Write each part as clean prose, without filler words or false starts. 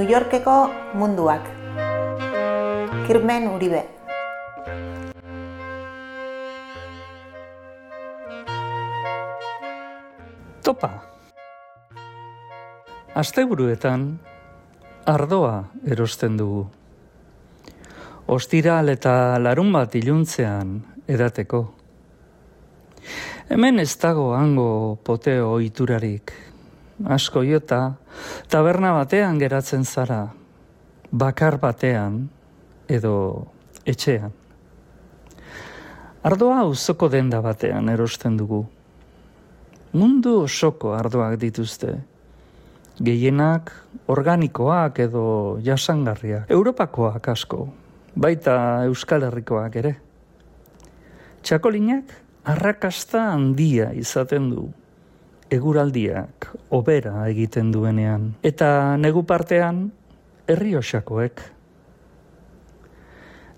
New Yorkeko munduak. Kirmen Uribe. Topa! Asteburuetan ardoa erosten dugu. Ostiral eta larunbat iluntzean edateko. Hemen ez dago hango poteo ohiturarik. Asko jota, taberna batean geratzen zara, bakar batean edo etxean. Ardoa auzoko denda batean erosten dugu. Mundu osoko ardoak dituzte. Gehienak organikoak edo jasangarriak. Europakoak asko, baita Euskal Herrikoak ere. Txakolinak arrakasta handia izaten du. Eguraldiak hobera egiten duenean. Eta negu partean Errioxakoek.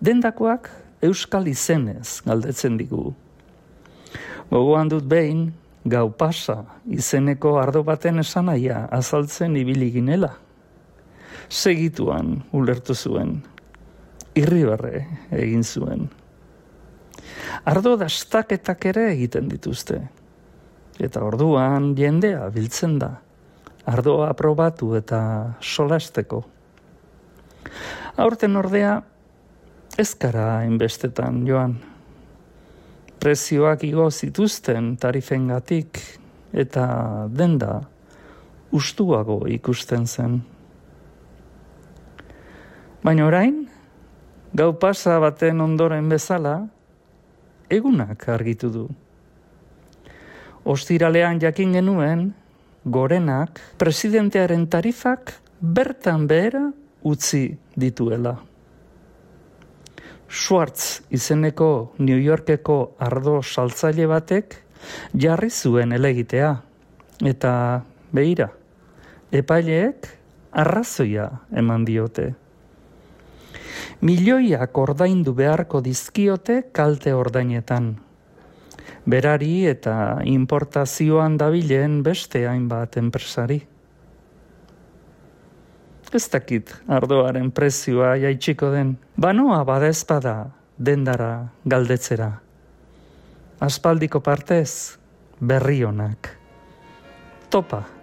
Dendakoak euskal izenez galdetzen digu. Gogoan dut behin, gau pasa izeneko ardo baten esanaia azaltzen ibili ginela. Segituan ulertu zuen. Irribarre egin zuen. Ardo dastaketak ere egiten dituzte. Eta orduan jendea biltzen da. Ardoa probatu eta solasteko. Aurten ordea ez gara hainbestetan joan. Prezioak igo zituzten tarifengatik eta denda ustuago ikusten zen. Baina orain, gau pasa baten ondoren bezala, egunak argitu du. Ostiralean jakin genuen, gorenak presidentearen tarifak bertan behera utzi dituela. Schwartz izeneko New Yorkeko ardo saltzaile batek jarri zuen elegitea. Eta begira, epaileek arrazoia eman diote. Milioiak ordaindu beharko dizkiote kalte ordainetan. Berari eta importazioan dabilen beste hainbat enpresari. Ez dakit ardoaren prezioa jaitsiko den. Banoa badezpada dendara galdetzera. Aspaldiko partez berri onak. Topa!